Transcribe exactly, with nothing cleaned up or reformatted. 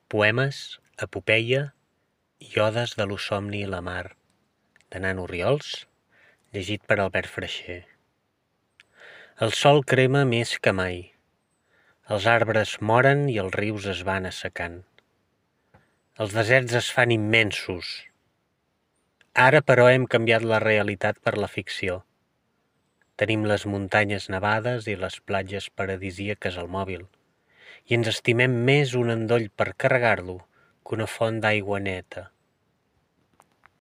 Poemes, epopeia i odes de lo somni i la mar, de Nano Riols, llegit per Albert Freixer. El sol crema més que mai. Els arbres moren i els rius es van assecant. Els deserts es fan immensos. Ara, però, hem canviat la realitat per la ficció. Tenim les muntanyes nevades i les platges paradisíaques al mòbil, i ens estimem més un endoll per carregar-lo que una font d'aigua neta.